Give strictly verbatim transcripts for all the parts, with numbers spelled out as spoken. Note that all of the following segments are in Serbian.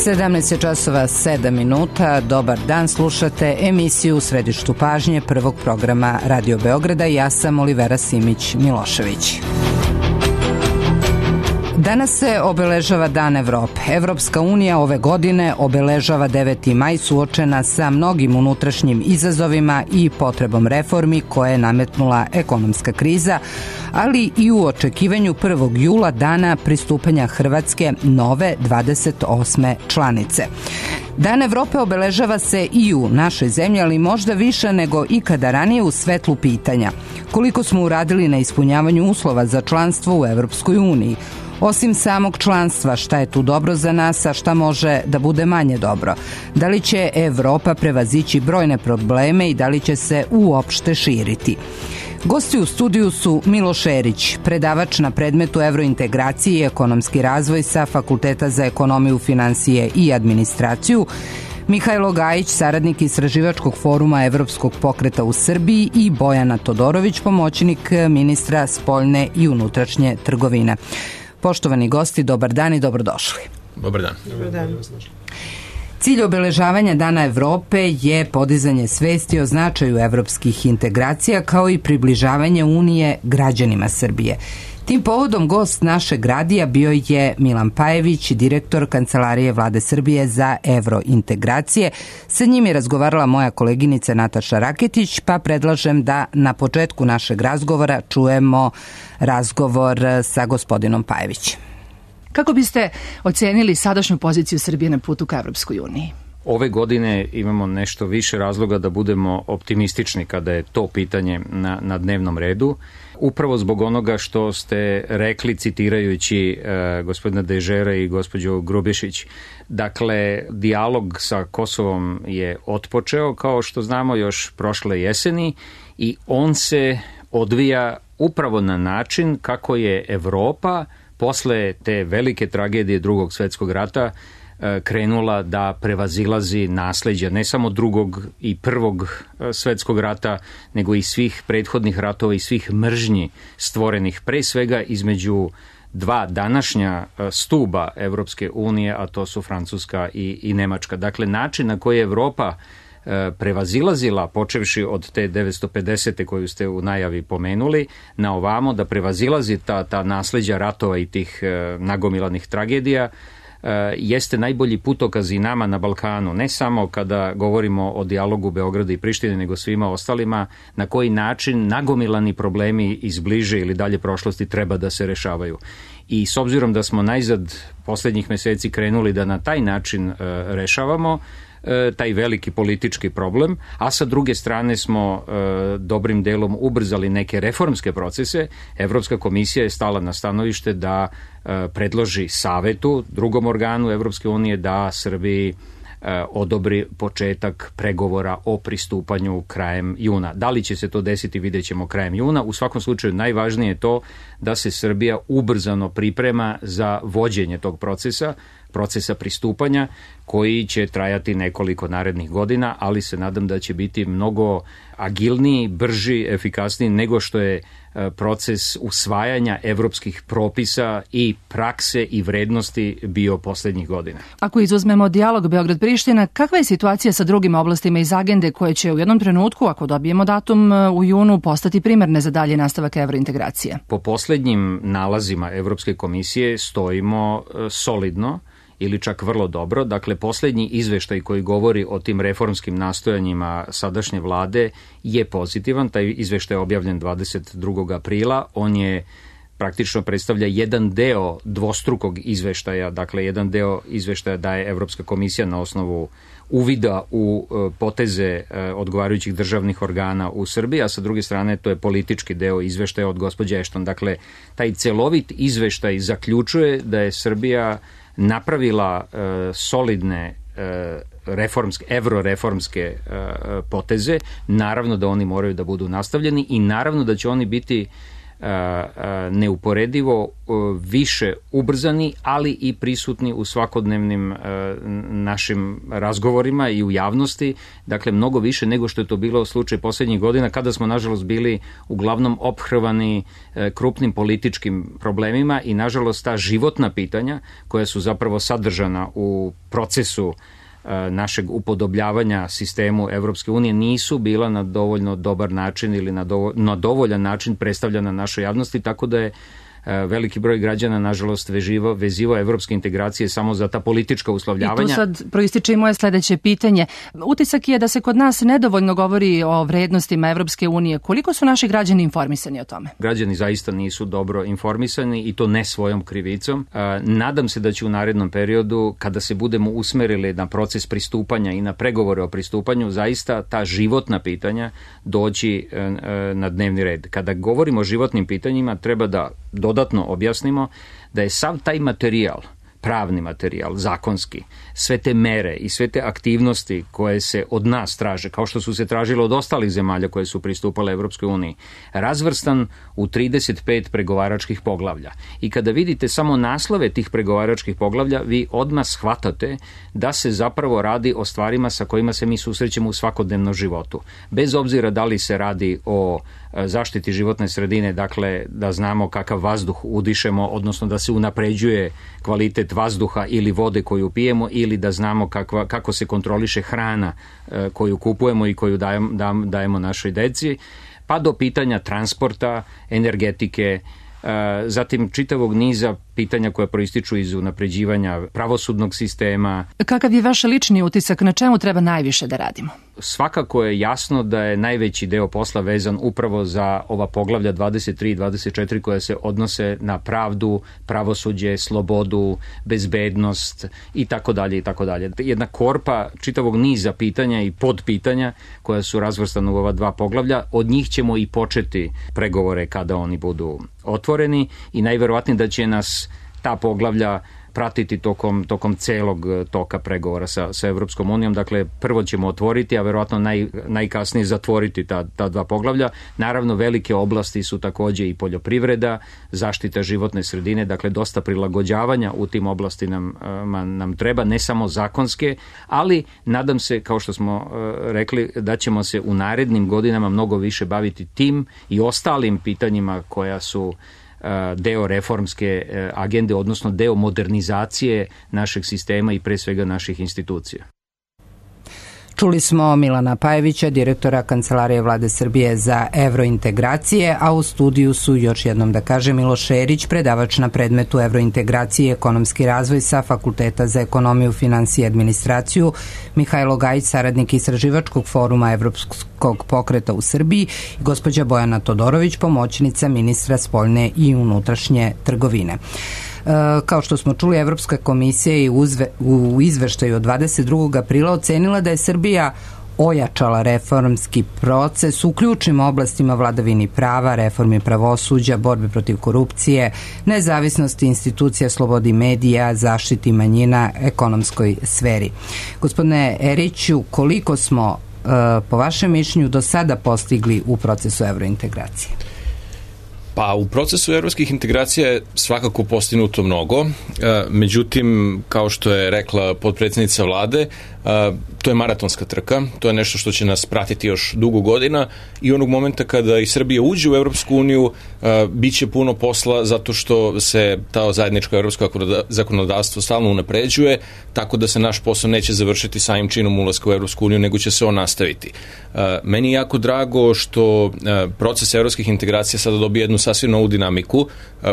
sedamnaest časova sedam minuta, dobar dan, slušate emisiju U središtu pažnje prvog programa Radio Beograda. Ja sam Olivera Simić-Milošević. Danas se obeležava Dan Evrope. Evropska unija ove godine obeležava deveti maj suočena sa mnogim unutrašnjim izazovima i potrebom reformi koje je nametnula ekonomska kriza, ali i u očekivanju prvog jula dana pristupanja Hrvatske nove dvadeset osme članice. Dan Evrope obeležava se i u našoj zemlji, ali možda više nego ikada ranije u svetlu pitanja. Koliko smo uradili na ispunjavanju uslova za članstvo u Evropskoj uniji? Osim samog članstva, šta je tu dobro za nas, a šta može da bude manje dobro? Da li će Evropa prevazići brojne probleme i da li će se uopšte širiti? Gosti u studiju su Miloš Erić, predavač na predmetu evrointegracije i ekonomski razvoj sa Fakulteta za ekonomiju, finansije i administraciju, Mihajlo Gajić, saradnik Istraživačkog foruma Evropskog pokreta u Srbiji i Bojana Todorović, pomoćnik ministra spoljne i unutrašnje trgovine. Poštovani gosti, dobar dan i dobrodošli. Dobar dan. Dobar dan. Cilj obeležavanja Dana Evrope je podizanje svesti o značaju evropskih integracija kao i približavanje Unije građanima Srbije. Tim povodom gost našeg radija bio je Milan Pajević, direktor Kancelarije Vlade Srbije za evrointegracije. Sa njim je razgovarala moja koleginica Nataša Raketić, pa predlažem da na početku našeg razgovora čujemo razgovor sa gospodinom Pajevićem. Kako biste ocenili sadašnju poziciju Srbije na putu ka Evropskoj uniji? Ove godine imamo nešto više razloga da budemo optimistični kada je to pitanje na, na dnevnom redu. Upravo zbog onoga što ste rekli citirajući e, gospodina Dežera i gospođu Grubišić. Dakle, dijalog sa Kosovom je otpočeo, kao što znamo, još prošle jeseni i on se odvija upravo na način kako je Evropa posle te velike tragedije Drugog svjetskog rata krenula da prevazilazi nasleđa ne samo drugog i prvog svjetskog rata, nego i svih prethodnih ratova i svih mržnji stvorenih pre svega između dva današnja stuba Evropske unije, a to su Francuska i, i Nemačka. Dakle, način na koji je Evropa prevazilazila, počevši od te devetsto pedesete koju ste u najavi pomenuli, na ovamo da prevazilazi ta, ta nasleđa ratova i tih nagomilanih tragedija, jeste najbolji putokaz i nama na Balkanu, ne samo kada govorimo o dijalogu Beograda i Prištine, nego svima ostalima, na koji način nagomilani problemi iz bliže ili dalje prošlosti treba da se rešavaju. I s obzirom da smo najzad posljednjih meseci krenuli da na taj način rešavamo taj veliki politički problem, a sa druge strane smo e, dobrim delom ubrzali neke reformske procese. Evropska komisija je stala na stanovište da e, predloži savetu, drugom organu Evropske unije, da Srbiji e, odobri početak pregovora o pristupanju krajem juna. Da li će se to desiti, vidjet ćemo krajem juna. U svakom slučaju najvažnije je to da se Srbija ubrzano priprema za vođenje tog procesa, procesa pristupanja koji će trajati nekoliko narednih godina, ali se nadam da će biti mnogo agilniji, brži, efikasniji nego što je proces usvajanja evropskih propisa i prakse i vrednosti bio posljednjih godina. Ako izuzmemo dijalog Beograd-Priština, kakva je situacija sa drugim oblastima iz agende koje će u jednom trenutku, ako dobijemo datum u junu, postati primerne za dalje nastavak evrointegracije? Po posljednjim nalazima Evropske komisije stojimo solidno ili čak vrlo dobro. Dakle, posljednji izveštaj koji govori o tim reformskim nastojanjima sadašnje vlade je pozitivan. Taj izveštaj je objavljen dvadeset drugog aprila. On je praktično predstavlja jedan deo dvostrukog izveštaja. Dakle, jedan deo izveštaja daje Evropska komisija na osnovu uvida u poteze odgovarajućih državnih organa u Srbiji, a sa druge strane to je politički deo izveštaja od gospođe Ešton. Dakle, taj celovit izveštaj zaključuje da je Srbija napravila e, solidne e, reformske, evroreformske e, poteze. Naravno da oni moraju da budu nastavljeni i naravno da će oni biti neuporedivo više ubrzani, ali i prisutni u svakodnevnim našim razgovorima i u javnosti, dakle mnogo više nego što je to bilo slučaj posljednjih godina, kada smo nažalost bili uglavnom ophrvani krupnim političkim problemima i nažalost ta životna pitanja koja su zapravo sadržana u procesu našeg upodobljavanja sistemu Evropske unije nisu bila na dovoljno dobar način ili na, dovo, na dovoljan način predstavljena našoj javnosti, tako da je veliki broj građana, nažalost, veživo, vezivo evropske integracije samo za ta politička uslovljavanja. I tu sad proističe i moje sledeće pitanje. Utisak je da se kod nas nedovoljno govori o vrednostima Evropske unije. Koliko su naši građani informisani o tome? Građani zaista nisu dobro informisani i to ne svojom krivicom. Nadam se da će u narednom periodu, kada se budemo usmerili na proces pristupanja i na pregovore o pristupanju, zaista ta životna pitanja doći na dnevni red. Kada govorimo o životnim pitanjima, treba da dodatno objasnimo da je sav taj materijal, pravni materijal, zakonski, sve te mere i sve te aktivnosti koje se od nas traže, kao što su se tražile od ostalih zemalja koje su pristupale Evropskoj uniji, razvrstan u trideset pet pregovaračkih poglavlja. I kada vidite samo naslove tih pregovaračkih poglavlja, vi odmah shvatate da se zapravo radi o stvarima sa kojima se mi susrećemo u svakodnevnom životu. Bez obzira da li se radi o zaštiti životne sredine, dakle da znamo kakav vazduh udišemo, odnosno da se unapređuje kvalitet vazduha ili vode koju pijemo, ili da znamo kakva, kako se kontroliše hrana e, koju kupujemo i koju dajemo, dajemo našoj deci, pa do pitanja transporta, energetike, e, zatim čitavog niza pitanja koja proističu iz unapređivanja pravosudnog sistema. Kakav je vaš lični utisak, na čemu treba najviše da radimo? Svakako je jasno da je najveći deo posla vezan upravo za ova poglavlja dvadeset tri i dvadeset četiri koja se odnose na pravdu, pravosuđe, slobodu, bezbednost i tako dalje i tako dalje. Jedna korpa čitavog niza pitanja i podpitanja koja su razvrstana u ova dva poglavlja, od njih ćemo i početi pregovore kada oni budu otvoreni i najverovatnije da će nas ta poglavlja pratiti tokom, tokom celog toka pregovora sa, sa Evropskom unijom. Dakle, prvo ćemo otvoriti, a verovatno naj, najkasnije zatvoriti ta, ta dva poglavlja. Naravno, velike oblasti su takođe i poljoprivreda, zaštita životne sredine, dakle, dosta prilagođavanja u tim oblasti nam, nam treba, ne samo zakonske, ali nadam se, kao što smo rekli, da ćemo se u narednim godinama mnogo više baviti tim i ostalim pitanjima koja su deo reformske agende, odnosno deo modernizacije našeg sistema i pre svega naših institucija. Čuli smo Milana Pajevića, direktora Kancelarije Vlade Srbije za evrointegracije, a u studiju su, još jednom da kaže, Miloš Šerić, predavač na predmetu evrointegracije i ekonomski razvoj sa Fakulteta za ekonomiju, finansije i administraciju, Mihajlo Gajić, saradnik Istraživačkog foruma Evropskog pokreta u Srbiji, i gospođa Bojana Todorović, pomoćnica ministra spoljne i unutrašnje trgovine. Kao što smo čuli, Evropska komisija je u izveštaju od dvadeset drugog aprila ocenila da je Srbija ojačala reformski proces u ključnim oblastima vladavini prava, reformi pravosuđa, borbe protiv korupcije, nezavisnosti institucija, slobodi medija, zaštiti manjina, ekonomskoj sferi. Gospodine Eriću, koliko smo po vašem mišljenju do sada postigli u procesu evrointegracije? Pa u procesu evropskih integracija je svakako postignuto mnogo, međutim, kao što je rekla potpredsednica vlade, to je maratonska trka, to je nešto što će nas pratiti još dugo godina i onog momenta kada i Srbija uđe u Evropsku uniju, bit će puno posla zato što se ta zajedničko evropsko zakonodavstvo stalno unapređuje, tako da se naš posao neće završiti samim činom ulaska u Evropsku uniju, nego će se on nastaviti. Meni je jako drago što proces evropskih integracija sada dobije jednu sasvim novu dinamiku,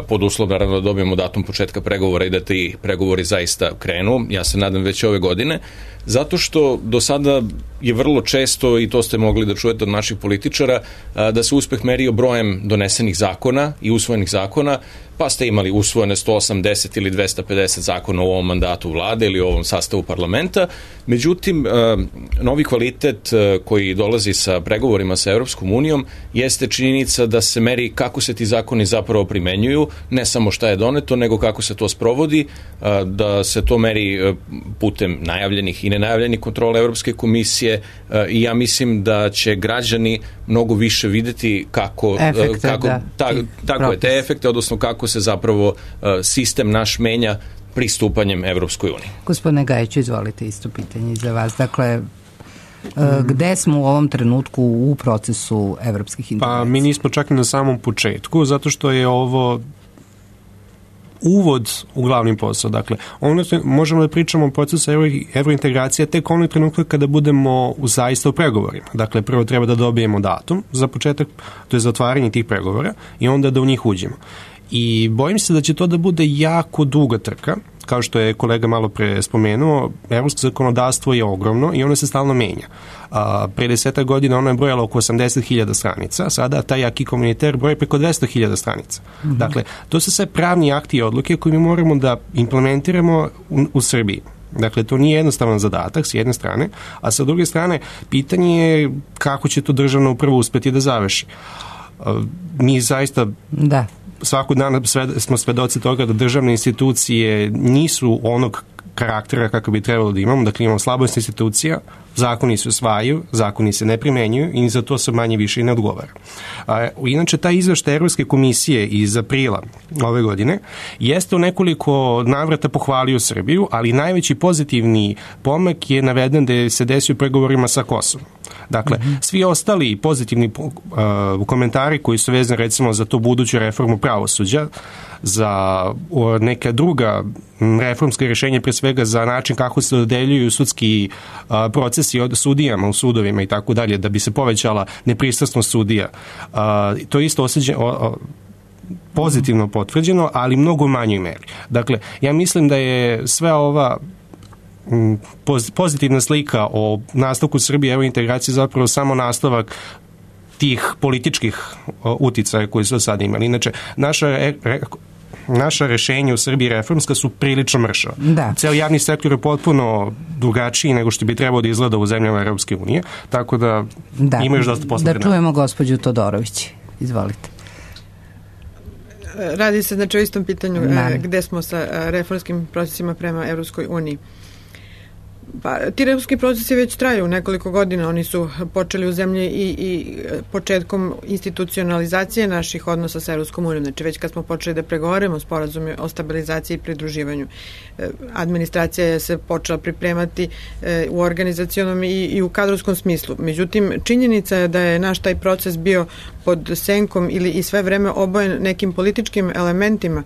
pod uslov naravno da dobijemo datum početka pregovora i da ti pregovori zaista krenu, ja se nadam već ove godine, zato što do sada je vrlo često, i to ste mogli da čujete od naših političara, da se uspeh merio brojem donesenih zakona i usvojenih zakona, pa ste imali usvojene sto osamdeset ili dvesta pedeset zakona u ovom mandatu vlade ili u ovom sastavu parlamenta. Međutim, novi kvalitet koji dolazi sa pregovorima sa Evropskom unijom jeste činjenica da se meri kako se ti zakoni zapravo primenjuju, ne samo šta je doneto, nego kako se to sprovodi, da se to meri putem najavljenih i nenajavljeni kontrola Evropske komisije i ja mislim da će građani mnogo više videti kako, efekte, kako da, ta, tako je, te efekte, odnosno kako se zapravo sistem naš menja pristupanjem Evropskoj uniji. Gospodine Gajiću, izvolite, isto pitanje i za vas. Dakle, gde smo u ovom trenutku u procesu evropskih integracija? Pa mi nismo čak i na samom početku, zato što je ovo uvod u glavni posao. Dakle, ono što možemo da pričamo o procesu evrointegracije tek onog trenutka kada budemo u zaista u pregovorima. Dakle, prvo treba da dobijemo datum za početak, to je za otvaranje tih pregovora i onda da u njih uđemo. I bojim se da će to da bude jako duga trka, kao što je kolega malo pre spomenuo, evropsko zakonodavstvo je ogromno i ono se stalno menja. A, pre desetak godina ono je brojalo oko osamdeset hiljada stranica, sada taj aki komuniter broji preko dvesta hiljada stranica. Mm-hmm. Dakle, to su sve pravni akti i odluke koje mi moramo da implementiramo u, u Srbiji. Dakle, to nije jednostavan zadatak s jedne strane, a sa druge strane, pitanje je kako će to državna uprava uspeti da završi. A, mi zaista... Da. Svakog dana smo svedoci toga da državne institucije nisu onog karaktera kako bi trebalo da imamo, dakle imamo slabost institucija, zakoni se usvajaju, zakoni se ne primenjuju i za to se manje više i ne odgovara. A, inače, taj izveštaj Evropske komisije iz aprila ove godine jeste u nekoliko navrata pohvalio Srbiju, ali najveći pozitivni pomak je naveden da se desio u pregovorima sa Kosovom. Dakle, mm-hmm. svi ostali pozitivni uh, komentari koji su vezani recimo za tu buduću reformu pravosuđa, za uh, neka druga reformska rješenja, pre svega za način kako se dodeljuju sudski uh, procesi od sudijama u sudovima i tako dalje, da bi se povećala nepristrasnost sudija. Uh, to je isto osjećanje pozitivno potvrđeno, ali mnogo u manjoj meri. Dakle, ja mislim da je sve ova pozitivna slika o nastavku Srbije evo integracije zapravo samo nastavak tih političkih uticaja koji su sad imali. Inače, naša re, re, naša rešenja u Srbiji reformska su prilično mršava. Da. Ceo javni sektor je potpuno drugačiji nego što bi trebao da izgleda u zemljama Evropske unije, tako da, da. ima još dosta posla. Da čujemo gospođu Todorović. Izvolite. Radi se znači o istom pitanju e, gde smo sa reformskim procesima prema Evropskoj uniji. Pa, ti reformski procesi već traju nekoliko godina, oni su počeli u zemlji i, i početkom institucionalizacije naših odnosa sa Evropskom unijom, znači već kad smo počeli da pregovaramo sporazum o stabilizaciji i pridruživanju. Administracija je se počela pripremati u organizacionom i, i u kadrovskom smislu. Međutim, činjenica je da je naš taj proces bio pod senkom ili i sve vreme obojen nekim političkim elementima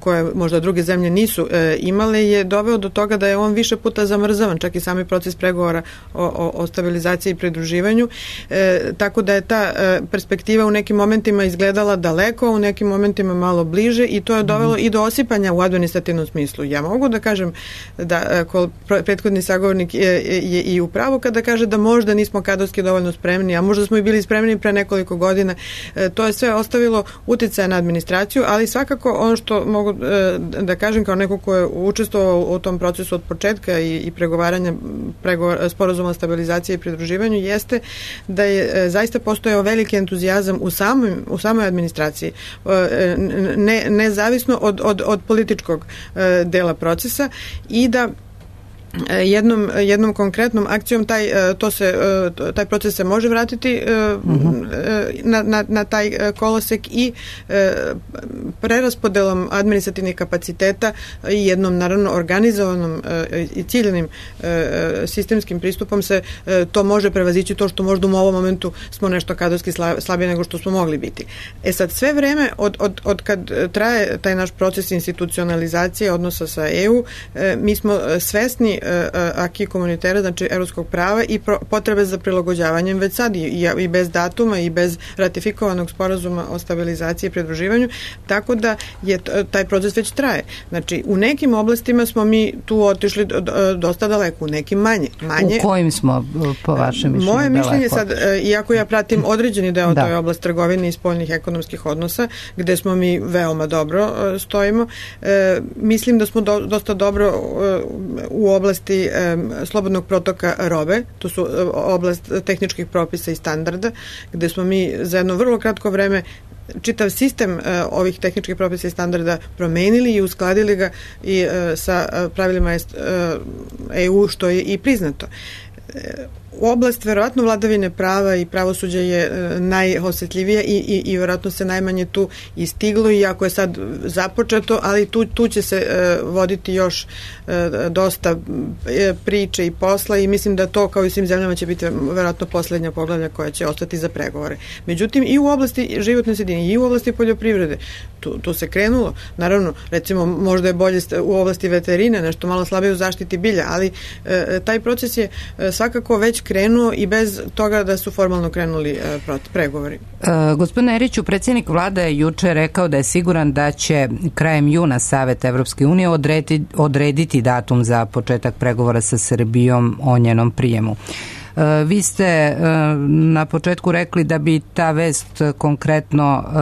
koje možda druge zemlje nisu imale, je doveo do toga da je on više puta zamrzavan, čak i sami proces pregovora o, o, o stabilizaciji i pridruživanju. E, tako da je ta e, perspektiva u nekim momentima izgledala daleko, u nekim momentima malo bliže i to je dovelo mm-hmm. i do osipanja u administrativnom smislu. Ja mogu da kažem da ko prethodni sagovornik je, je i u pravu kada kaže da možda nismo kadrovski dovoljno spremni, a možda smo i bili spremni pre nekoliko godina. E, to je sve ostavilo uticaja na administraciju, ali svakako ono što mogu e, da kažem kao neko ko je učestvovao u tom procesu od početka i, i pregovaranja pregovor, sporazuma o stabilizaciji i pridruživanju jeste da je e, zaista postojao veliki entuzijazam u samoj, u samoj administraciji, e, ne, nezavisno od, od, od političkog e, dela procesa i da jednom, jednom konkretnom akcijom taj, to se, taj proces se može vratiti uh-huh. na, na, na taj kolosek i preraspodelom administrativnih kapaciteta i jednom naravno organizovanom i ciljenim sistemskim pristupom se to može prevazići to što možda u ovom momentu smo nešto kadrovski slabije nego što smo mogli biti. E sad, sve vreme od, od, od kad traje taj naš proces institucionalizacije odnosa sa E U, mi smo svesni aki komunitera, znači evropskog prava i pro, potrebe za prilagođavanjem već sad i, i bez datuma i bez ratifikovanog sporazuma o stabilizaciji i pridruživanju, tako da je taj proces već traje. Znači, u nekim oblastima smo mi tu otišli dosta daleko, u nekim manje. manje. U kojim smo, po vašem mišljenju, Moje daleko? mišljenje sad, iako ja pratim određeni deo da. toj oblast trgovine i spoljnih ekonomskih odnosa, gde smo mi veoma dobro stojimo, mislim da smo do, dosta dobro u oblasti slobodnog protoka robe, to su oblast tehničkih propisa i standarda, gde smo mi za jedno vrlo kratko vreme čitav sistem ovih tehničkih propisa i standarda promenili i uskladili ga i sa pravilima E U, što je i priznato. Oblast verovatno vladavine prava i pravosuđa je najosetljivija i, i, i verovatno se najmanje tu i stiglo, iako je sad započeto, ali tu, tu će se uh, voditi još uh, dosta priče i posla i mislim da to kao i svim zemljama će biti verovatno poslednja poglavlja koja će ostati za pregovore. Međutim, i u oblasti životne sredine i u oblasti poljoprivrede tu, tu se krenulo. Naravno, recimo možda je bolje u oblasti veterine, nešto malo slabije u zaštiti bilja, ali uh, taj proces je uh, svakako već krenuo i bez toga da su formalno krenuli uh, pregovori. Uh, gospodine Eriću, predsjednik vlade je juče rekao da je siguran da će krajem juna Savet Evropske unije odrediti, odrediti datum za početak pregovora sa Srbijom o njenom prijemu. Uh, vi ste uh, na početku rekli da bi ta vest konkretno uh,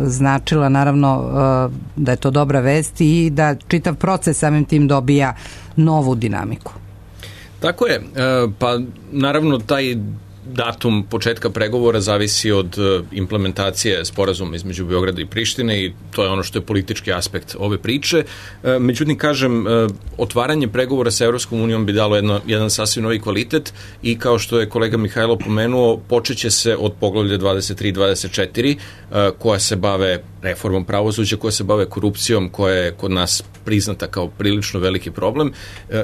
značila naravno uh, da je to dobra vest i da čitav proces samim tim dobija novu dinamiku. Tako je, pa naravno taj datum početka pregovora zavisi od implementacije sporazuma između Beograda i Prištine i to je ono što je politički aspekt ove priče. Međutim, kažem, otvaranje pregovora sa Evropskom unijom bi dalo jedno, jedan sasvim novi kvalitet i kao što je kolega Mihajlo pomenuo, počeće se od poglavlja dvadeset tri dvadeset četiri koja se bave reformom pravosuđa, koja se bave korupcijom, koja je kod nas priznata kao prilično veliki problem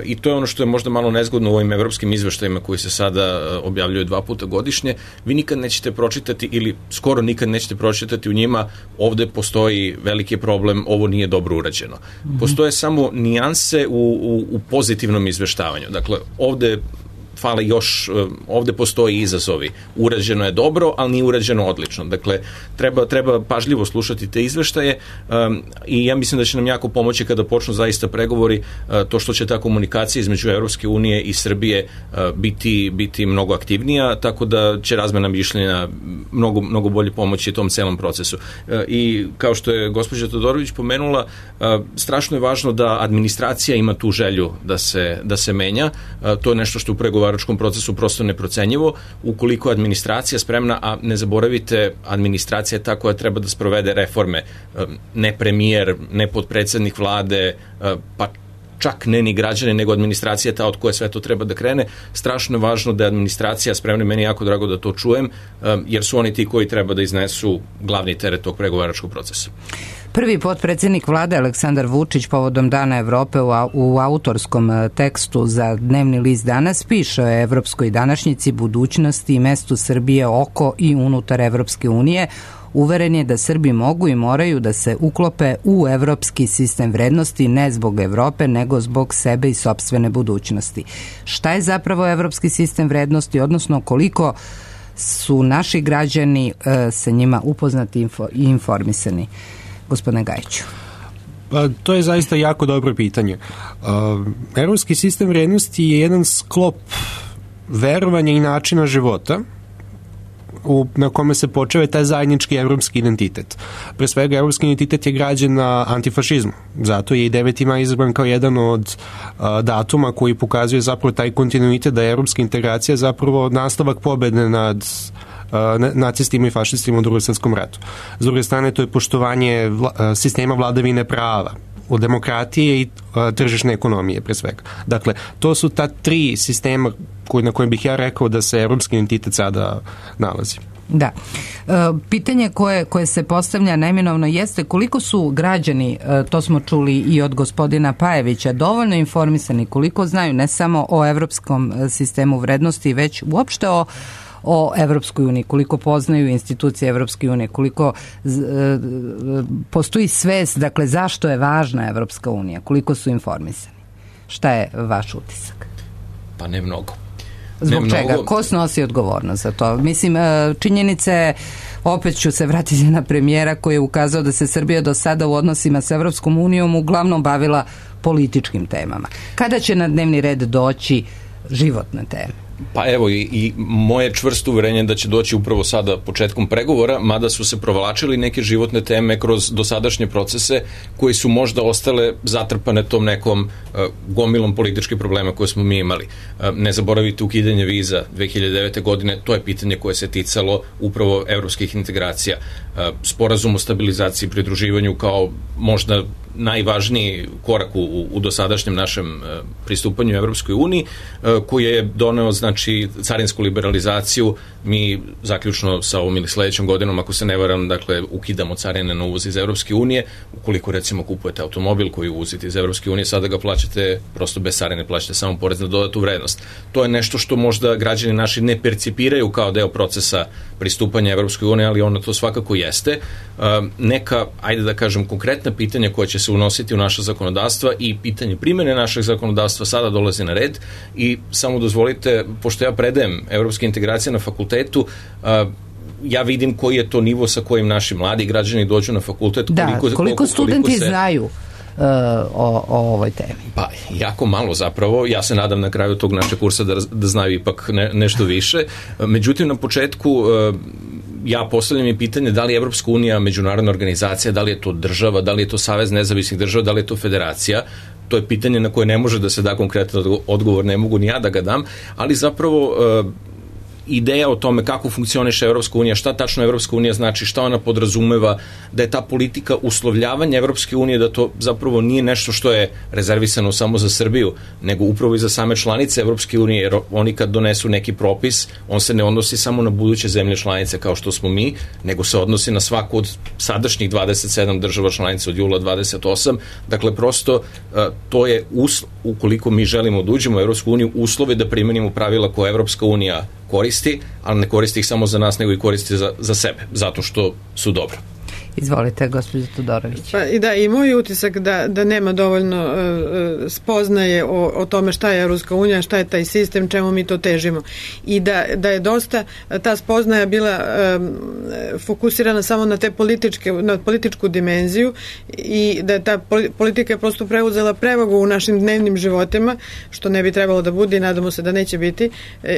i to je ono što je možda malo nezgodno u ovim evropskim izveštajima koji se sada objavljuju dva puta godišnje. Vi nikad nećete pročitati ili skoro nikad nećete pročitati u njima ovde postoji veliki problem, ovo nije dobro urađeno. Mm-hmm. Postoje samo nijanse u, u, u pozitivnom izveštavanju. Dakle, ovde fale još, ovde postoji izazovi. Urađeno je dobro, ali nije urađeno odlično. Dakle, treba, treba pažljivo slušati te izveštaje um, i ja mislim da će nam jako pomoći kada počnu zaista pregovori uh, to što će ta komunikacija između Evropske unije i Srbije uh, biti, biti mnogo aktivnija, tako da će razmena mišljenja mnogo, mnogo bolje pomoći tom celom procesu. Uh, I kao što je gospođa Todorović pomenula, uh, strašno je važno da administracija ima tu želju da se, da se menja. Uh, to je nešto što u pregovaru procesu prosto neprocenjivo. Ukoliko je administracija spremna, a ne zaboravite, administracija je ta koja treba da sprovede reforme, ne premijer, ne potpredsednik vlade, pa čak ne ni građani, nego administracija ta od koje sve to treba da krene. Strašno je važno da je administracija spremna, meni je jako drago da to čujem, jer su oni ti koji treba da iznesu glavni teret tog pregovaračkog procesa. Prvi potpredsjednik vlade Aleksandar Vučić povodom Dana Evrope u autorskom tekstu za dnevni list Danas piše o evropskoj današnjici, budućnosti i mestu Srbije oko i unutar Evropske unije. Uveren je da Srbi mogu i moraju da se uklope u evropski sistem vrednosti ne zbog Evrope, nego zbog sebe i sopstvene budućnosti. Šta je zapravo evropski sistem vrednosti, odnosno koliko su naši građani e, sa njima upoznati info, i informisani? Gospodine Gajiću. Pa, to je zaista jako dobro pitanje. Uh, Evropski sistem vrednosti je jedan sklop verovanja i načina života u, na kome se počeve taj zajednički evropski identitet. Pre svega, evropski identitet je građen na antifašizmu. Zato je i deveti maj izabran kao jedan od uh, datuma koji pokazuje zapravo taj kontinuitet da je evropska integracija zapravo nastavak pobede nad nacistima i fašistima u Drugom svjetskom ratu. S druge strane, to je poštovanje vla, sistema vladavine prava, od demokratije i a, tržišne ekonomije, pre svega. Dakle, to su ta tri sistema koji, na kojem bih ja rekao da se evropski identitet sada nalazi. Da. E, pitanje koje, koje se postavlja neminovno jeste koliko su građani, e, to smo čuli i od gospodina Pajevića, dovoljno informisani, koliko znaju ne samo o evropskom sistemu vrednosti, već uopšte o o Evropskoj uniji, koliko poznaju institucije Evropske unije, koliko z, e, postoji svest, dakle, zašto je važna Evropska unija, koliko su informisani. Šta je vaš utisak? Pa ne mnogo. Zbog ne čega? Mnogo. Ko snosi odgovornost za to? Mislim, činjenice, opet ću se vratiti na premijera koji je ukazao da se Srbija do sada u odnosima sa Evropskom unijom uglavnom bavila političkim temama. Kada će na dnevni red doći životne teme? Pa evo i, i moje čvrsto uverenje da će doći upravo sada početkom pregovora, mada su se provlačili neke životne teme kroz dosadašnje procese koji su možda ostale zatrpane tom nekom uh, gomilom političkih problema koje smo mi imali. Uh, ne zaboravite ukidanje viza dve hiljade devete. godine, to je pitanje koje se ticalo upravo evropskih integracija. Uh, sporazum o stabilizaciji i pridruživanju kao možda najvažniji korak u, u dosadašnjem našem uh, pristupanju Evropskoj uniji, uh, koji je doneo znači carinsku liberalizaciju. Mi zaključno sa ovom ili sledećom godinom, ako se ne varam, dakle ukidamo carine na uvoz iz Evropske unije. Ukoliko recimo kupujete automobil koji uvozite iz Evropske unije, sada ga plaćate prosto bez carine, plaćate samo porez na dodatu vrednost. To je nešto što možda građani naši ne percipiraju kao deo procesa pristupanja Evropskoj uniji, ali ono to svakako jeste. Uh, neka, ajde da kažem, konkretna pitanja koja će se unositi u naša zakonodavstva i pitanje primjene našeg zakonodavstva sada dolazi na red i samo dozvolite, pošto ja predajem evropske integracije na fakultetu, uh, ja vidim koji je to nivo sa kojim naši mladi građani dođu na fakultet. Da, koliko, koliko, koliko studenti koliko se... znaju Uh, o, o ovoj temi? Pa, jako malo zapravo. Ja se nadam na kraju tog našeg kursa da, da znaju ipak ne, nešto više. Međutim, na početku uh, ja postavljam i pitanje da li je Evropska unija međunarodna organizacija, da li je to država, da li je to Savez nezavisnih država, da li je to federacija. To je pitanje na koje ne može da se da konkretan odgovor, ne mogu ni ja da ga dam, ali zapravo uh, ideja o tome kako funkcioniše Evropska unija, šta tačno Evropska unija znači, šta ona podrazumeva, da je ta politika uslovljavanja Evropske unije, da to zapravo nije nešto što je rezervisano samo za Srbiju, nego upravo i za same članice Evropske unije, jer oni kad donesu neki propis, on se ne odnosi samo na buduće zemlje članice kao što smo mi, nego se odnosi na svaku od sadašnjih dvadeset sedam država članica od jula dvadeset osam. Dakle, prosto to je, usl- ukoliko mi želimo da uđemo u Evropsku uniju, uslove da primenimo pravila koje Evropska unija koristi, ali ne koristi ih samo za nas, nego i koristi za, za sebe, zato što su dobro. Izvolite, gospođo Todorović. Pa, i da, i moj utisak da, da nema dovoljno uh, spoznaje o, o tome šta je Evropska unija, šta je taj sistem, čemu mi to težimo. I da, da je dosta ta spoznaja bila um, fokusirana samo na te političke, na političku dimenziju i da je ta politika je prosto preuzela prevagu u našim dnevnim životima, što ne bi trebalo da bude i nadamo se da neće biti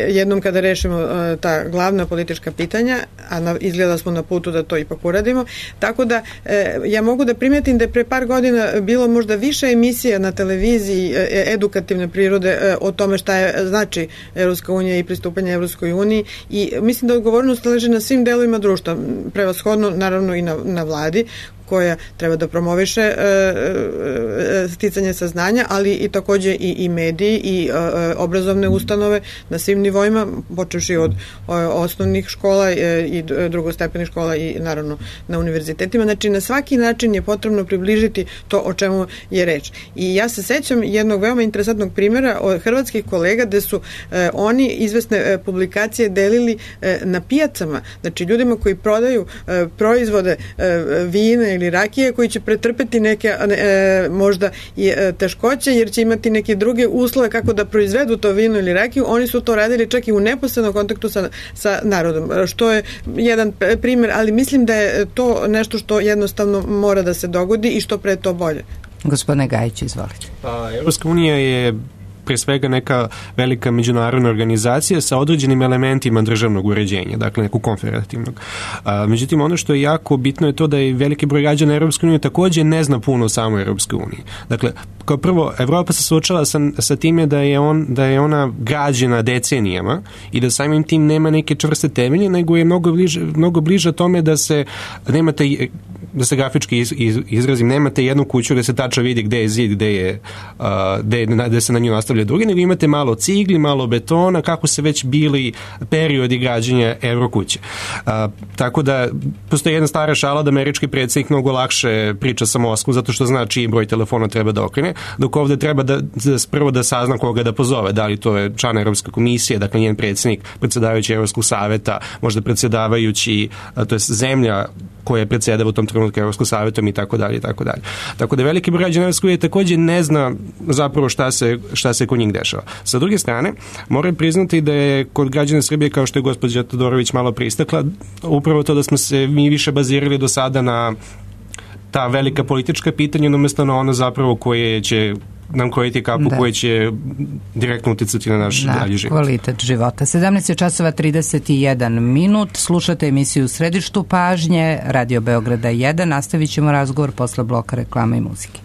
jednom kada rešimo uh, ta glavna politička pitanja, a na, izgleda smo na putu da to ipak uradimo. Tako da e, ja mogu da primetim da je pre par godina bilo možda više emisija na televiziji e, edukativne prirode e, o tome šta je znači Evropska unija i pristupanje Evropskoj uniji i mislim da odgovornost leži na svim delovima društva, prevashodno naravno i na, na vladi koja treba da promoviše e, e, sticanje saznanja, ali i takođe i, i mediji i e, obrazovne ustanove na svim nivoima, počevši od o, osnovnih škola e, i drugostepenih škola i naravno na univerzitetima. Znači, na svaki način je potrebno približiti to o čemu je reč. I ja se sećam jednog veoma interesantnog primjera od hrvatskih kolega gde su e, oni izvesne e, publikacije delili e, na pijacama. Znači, ljudima koji prodaju e, proizvode e, vine ili rakije koji će pretrpeti neke e, možda i e, teškoće jer će imati neke druge uslove kako da proizvedu to vino ili rakiju. Oni su to radili čak i u neposrednom kontaktu sa, sa narodom, što je jedan primjer, ali mislim da je to nešto što jednostavno mora da se dogodi i što pre to bolje. Gospodine Gajić, izvolite. Pa, Evropska unija je pre svega neka velika međunarodna organizacija sa određenim elementima državnog uređenja, dakle nekog konfederativnog. A, međutim, ono što je jako bitno je to da je veliki broj građana Evropske unije takođe ne zna puno o samoj Evropskoj uniji. Dakle, kao prvo, Evropa se suočava sa, sa time da je, on, da je ona građena decenijama i da samim tim nema neke čvrste temelje, nego je mnogo bliže, mnogo bliže tome da se nemate, da se grafički iz, iz, izrazim, nemate jednu kuću gde se tačno vidi gde je zid, gde, je, uh, gde, gde se na nju nastavlja drugi, nego imate malo cigli, malo betona, kako se već bili periodi građenja Evrokuće. A, tako da postoji jedna stara šala da američki predsjednik mnogo lakše priča sa Moskvom zato što zna čiji broj telefona treba da okrene, dok ovde treba da, da prvo da sazna koga da pozove, da li to je član Evropske komisije, dakle njen predsjednik, predsjedavajući Evropskog saveta, možda predsjedavajući, to je zemlja koja predsjedava u tom trenutku Evropskog savetom i tako dalje i tako dalje. Tako da veliki broj građana Evropske unije takođe ne zna zapravo šta se, šta se kod njih dešava. Sa druge strane, moram priznati da je kod građana Srbije, kao što je gospođa Todorović malo pristakla, upravo to da smo se mi više bazirali do sada na ta velika politička pitanja, umjesto na ono zapravo koje će nam krojiti kapu koja će direktno uticati na naš na dalji život. Kvalitet života. sedamnaest časova trideset jedan minut. Slušate emisiju Središtu pažnje, Radio Beograda jedan. Nastavit ćemo razgovor posle bloka reklama i muzike.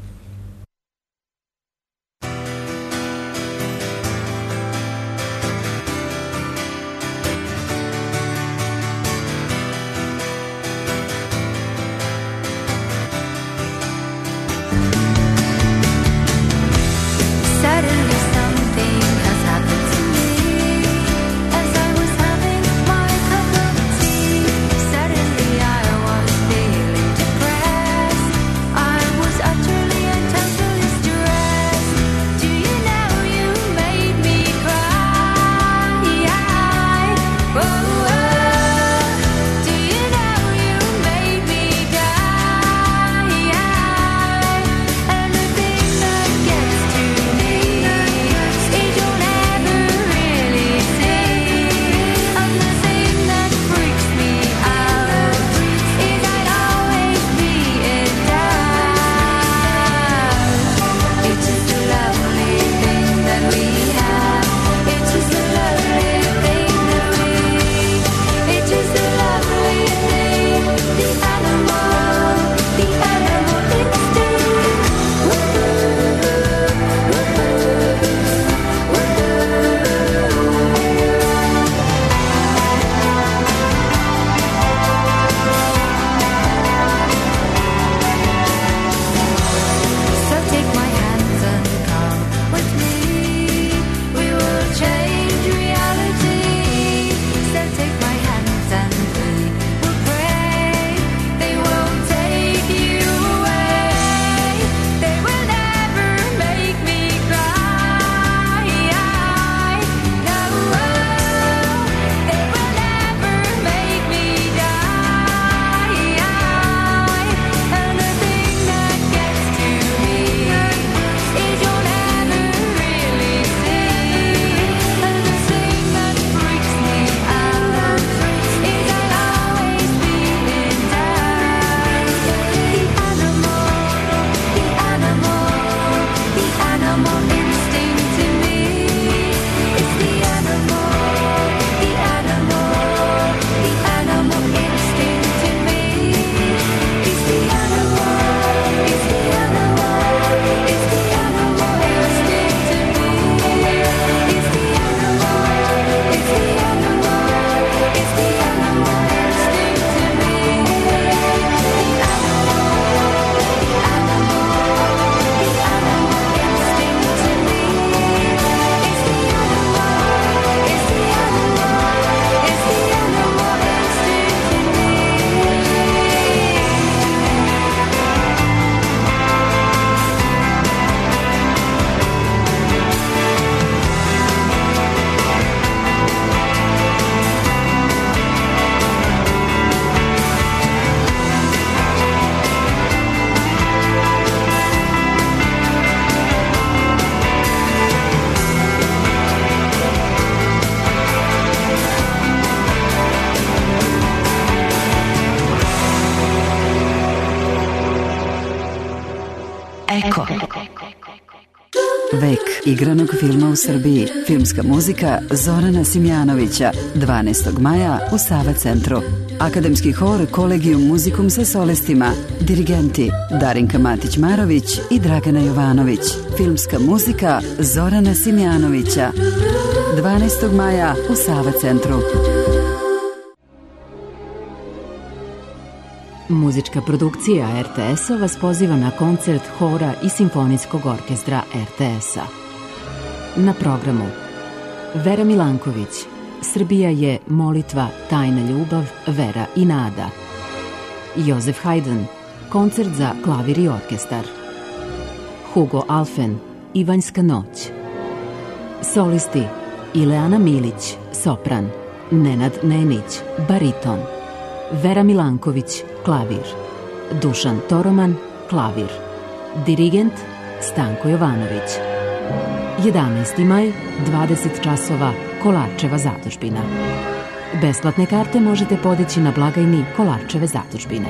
Eko. Vek igranog filma u Srbiji. Filmska muzika Zorana Simjanovića. dvanaestog maja u Sava centru. Akademski hor Kolegium Muzikum sa solistima. Dirigenti Darinka Matić-Marović i Dragana Jovanović. Filmska muzika Zorana Simjanovića. dvanaestog maja u Sava centru. Muzička produkcija R T S-a vas poziva na koncert hora i simfonijskog orkestra R T S-a. Na programu Vera Milanković, Srbija je molitva, tajna ljubav, vera i nada. Jozef Haydn, koncert za klavir i orkestar. Hugo Alfen, Ivanjska noć. Solisti Ileana Milić, sopran. Nenad Nenić, bariton. Vera Milanković, klavir. Dušan Toroman, klavir. Dirigent Stanko Jovanović. jedanaesti maj, dvadeset časova, Kolarčeva zadužbina. Besplatne karte možete podići na blagajni Kolarčeve zadužbine.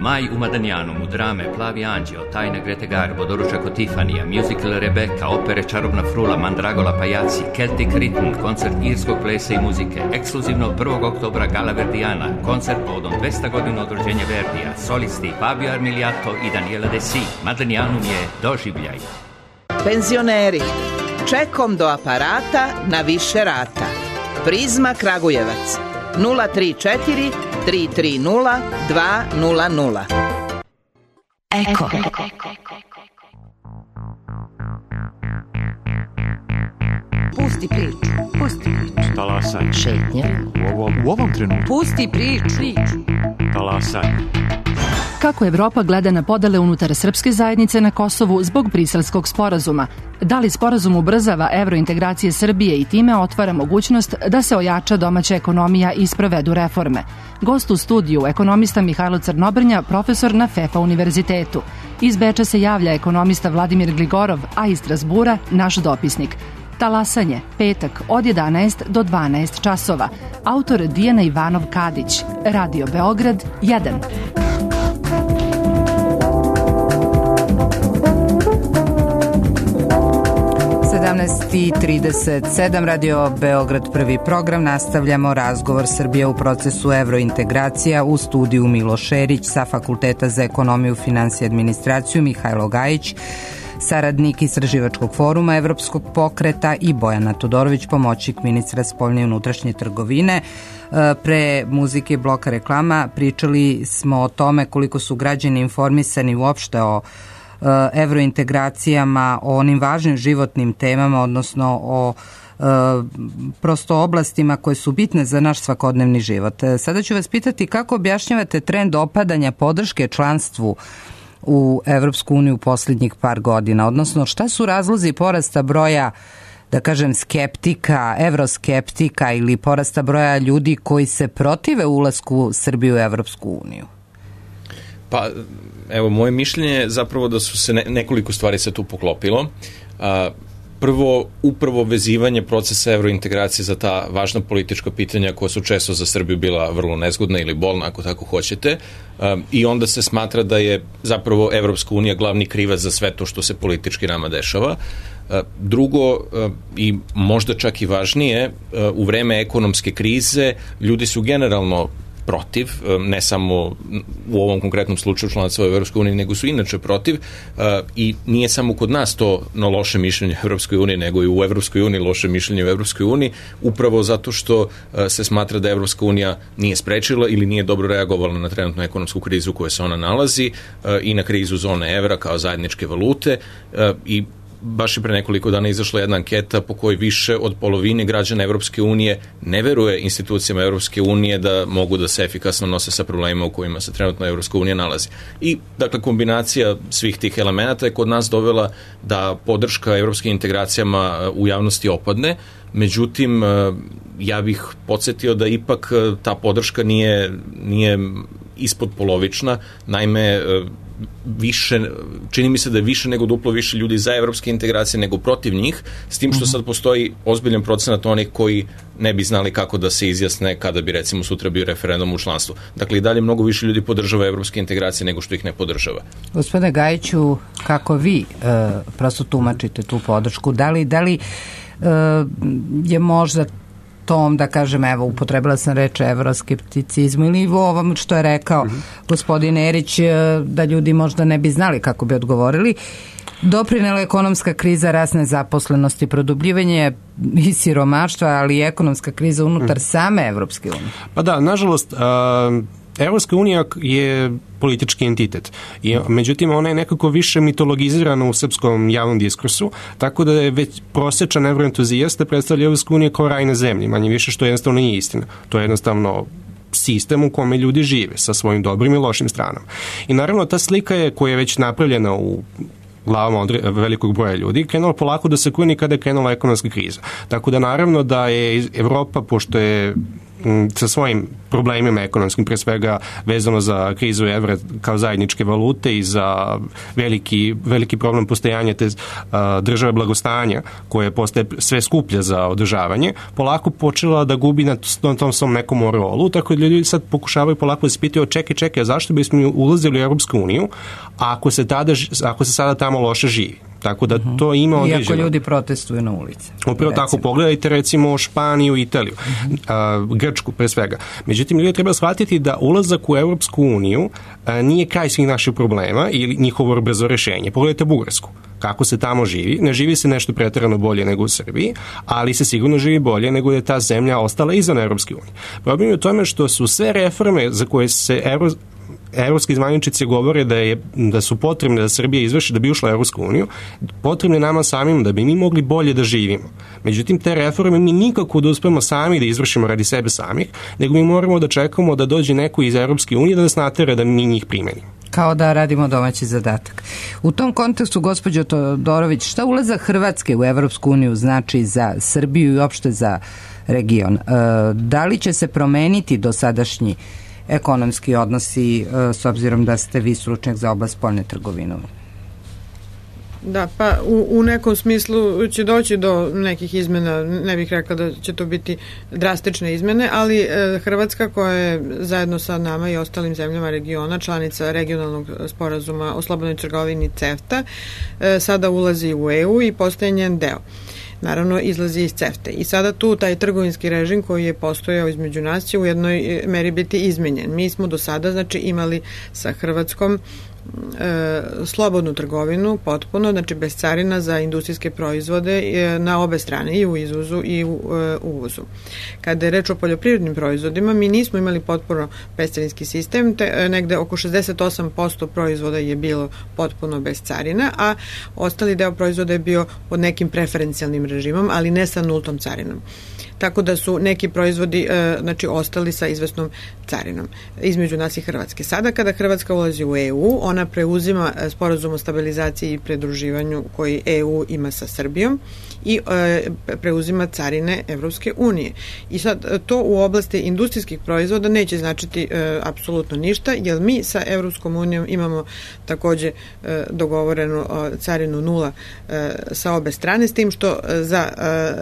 Maj u Madanjanu, drame Plavi anđeo, Tajna Grete Garbo, Doručak od Tifanija, musical Rebeka, opere Čarobna frula, Mandragola pajaci, Celtic Rhythm, koncert irskog plesa i muzike, ekskluzivno prvog oktobra Gala Verdijana, koncert povodom dvesta godina od rođenja Verdija, solisti Fabio Armiliato i Daniela Desi. Madanjanum je doživljaj. Penzioneri, čekom do aparata na više rata. Prizma Kragujevac, nula tri četiri tri tri nula dva nula nula. Eko. Pusti priču, pusti priču. Talasaj. Šetnje. U ovom, u ovom trenutku. Pusti priču. Talasaj. Kako Evropa gleda na podele unutar srpske zajednice na Kosovu zbog Briselskog sporazuma? Da li sporazum ubrzava evrointegracije Srbije i time otvara mogućnost da se ojača domaća ekonomija i sprovedu reforme? Gost u studiju, ekonomista Mihajlo Crnobrnja, profesor na FEFA univerzitetu. Iz Beča se javlja ekonomista Vladimir Gligorov, a iz Strasbura naš dopisnik. Talasanje, petak od jedanaest do dvanaest časova. Autor Dijana Ivanov Kadić. Radio Beograd jedan. sedamnaest i trideset sedam, Radio Beograd prvi program. Nastavljamo razgovor Srbije u procesu evrointegracija. U studiju Milo Šerić sa Fakulteta za ekonomiju, finansije i administraciju, Mihajlo Gajić, saradnik Istraživačkog foruma Evropskog pokreta, i Bojana Todorović, pomoćnik ministra spoljne i unutrašnje trgovine. Pre muzike bloka reklama pričali smo o tome koliko su građani informisani uopšte o evrointegracijama, o onim važnim životnim temama, odnosno o e, prosto oblastima koje su bitne za naš svakodnevni život. Sada ću vas pitati kako objašnjavate trend opadanja podrške članstvu u Evropsku uniju u posljednjih par godina, odnosno šta su razlozi porasta broja, da kažem, skeptika, evroskeptika ili porasta broja ljudi koji se protive ulasku Srbije u Evropsku uniju? Pa, evo, moje mišljenje je zapravo da su se ne, nekoliko stvari se tu poklopilo. A, prvo, upravo vezivanje procesa evrointegracije za ta važna politička pitanja koja su često za Srbiju bila vrlo nezgodna ili bolna, ako tako hoćete, a, i onda se smatra da je zapravo Evropska unija glavni krivac za sve to što se politički nama dešava. A, drugo, a, i možda čak i važnije, a, u vreme ekonomske krize ljudi su generalno protiv, ne samo u ovom konkretnom slučaju članstva u Evropskoj uniji, nego su inače protiv, i nije samo kod nas to no loše mišljenje u Evropskoj uniji, nego i u Evropskoj uniji loše mišljenje u Evropskoj uniji, upravo zato što se smatra da Evropska unija nije sprečila ili nije dobro reagovala na trenutnu ekonomsku krizu u kojoj se ona nalazi i na krizu zone evra kao zajedničke valute, i baš i pre nekoliko dana izašla jedna anketa po kojoj više od polovine građana Evropske unije ne veruje institucijama Evropske unije da mogu da se efikasno nose sa problemima u kojima se trenutno Evropska unija nalazi. I, dakle, kombinacija svih tih elemenata je kod nas dovela da podrška evropskim integracijama u javnosti opadne. Međutim, ja bih podsjetio da ipak ta podrška nije, nije ispod polovična. Naime, više, čini mi se da je više nego duplo više ljudi za evropske integracije nego protiv njih, s tim što sad postoji ozbiljan procenat onih koji ne bi znali kako da se izjasne kada bi, recimo, sutra bio referendum u članstvu. Dakle, i dalje mnogo više ljudi podržava evropske integracije nego što ih ne podržava. Gospodine Gajiću, kako vi e, prosto tumačite tu podršku? Da li, da li e, je možda tom, da kažem, evo, upotrebila sam reč evroskepticizmu ili u ovom što je rekao mm-hmm. gospodin Erić, da ljudi možda ne bi znali kako bi odgovorili. Doprinela ekonomska kriza, rast nezaposlenosti, produbljivanje i siromaštva, ali i ekonomska kriza unutar mm. same Evropske unije. Pa da, nažalost, uh, Evropska unija je politički entitet. I, međutim, ona je nekako više mitologizirana u srpskom javnom diskursu, tako da je već prosječan evroentuzijasta predstavlja Evropsku uniju kao raj na zemlji, manje više, što jednostavno nije istina. To je jednostavno sistem u kome ljudi žive sa svojim dobrim i lošim stranama. I naravno, ta slika je koja je već napravljena u glavama od velikog broja ljudi, krenula polako da se kruni kada je krenula ekonomska kriza. Tako da naravno da je Evropa, pošto je sa svojim problemima ekonomskim, pre svega vezano za krizu evra kao zajedničke valute i za veliki, veliki problem postojanja te a, države blagostanja koje postaje sve skuplja za održavanje, polako počela da gubi na, na tom svom nekom morolu, tako da ljudi sad pokušavaju polako da se pitaju, čekaj, čekaj, zašto bismo mi ulazili u Europsku uniju ako se, tada, ako se sada tamo loše živi. Tako da to ima određeno. Iako ljudi protestuju na ulici. Upravo tako, pogledajte recimo Španiju i Italiju, uh-huh. a, Grčku pre svega. Međutim, ljudi treba shvatiti da ulazak u Europsku uniju a, nije kraj svih naših problema ili njihovo brzo rešenje. Pogledajte Bugarsku. Kako se tamo živi. Ne živi se nešto preterano bolje nego u Srbiji, ali se sigurno živi bolje nego je ta zemlja ostala izvan Europske unije. Problem je u tome što su sve reforme za koje se Euro evropski zvaničnici govore da, je, da su potrebne da Srbija izvrši da bi ušla u Evropsku uniju, potrebne nama samim da bi mi mogli bolje da živimo. Međutim, te reforme mi nikako da uspemo sami da izvršimo radi sebe samih, nego mi moramo da čekamo da dođe neko iz Evropske unije da nas natera da mi njih primenimo. Kao da radimo domaći zadatak. U tom kontekstu, gospođo Todorović, šta ulazak Hrvatske u Evropsku uniju znači za Srbiju i uopšte za region? E, da li će se promeniti dosadašnji ekonomski odnosi s obzirom da ste vi stručnjak za oblast spoljne trgovine? Da, pa u, u nekom smislu će doći do nekih izmena, ne bih rekla da će to biti drastične izmene, ali e, Hrvatska koja je zajedno sa nama i ostalim zemljama regiona, članica regionalnog sporazuma o slobodnoj trgovini CEFTA, e, sada ulazi u E U i postaje njen deo. Naravno, izlazi iz CEFTA. I sada tu taj trgovinski režim koji je postojao između nas će u jednoj meri biti izmenjen. Mi smo do sada, znači, imali sa Hrvatskom e, slobodnu trgovinu potpuno, znači bez carina za industrijske proizvode e, na obe strane, i u izvozu i u e, uvozu. Kada je reč o poljoprivrednim proizvodima, mi nismo imali potpuno bescarinski sistem, te e, negde oko šezdeset osam posto proizvoda je bilo potpuno bez carina, a ostali deo proizvoda je bio pod nekim preferencijalnim režimom, ali ne sa nultom carinom. Tako da su neki proizvodi e, znači ostali sa izvesnom carinom između nas i Hrvatske. Sada kada Hrvatska ulazi u E U, ona preuzima sporazum o stabilizaciji i pridruživanju koji E U ima sa Srbijom i e, preuzima carine Evropske unije. I sad to u oblasti industrijskih proizvoda neće značiti e, apsolutno ništa, jer mi sa Evropskom unijom imamo takođe e, dogovorenu e, carinu nula e, sa obe strane, s tim što za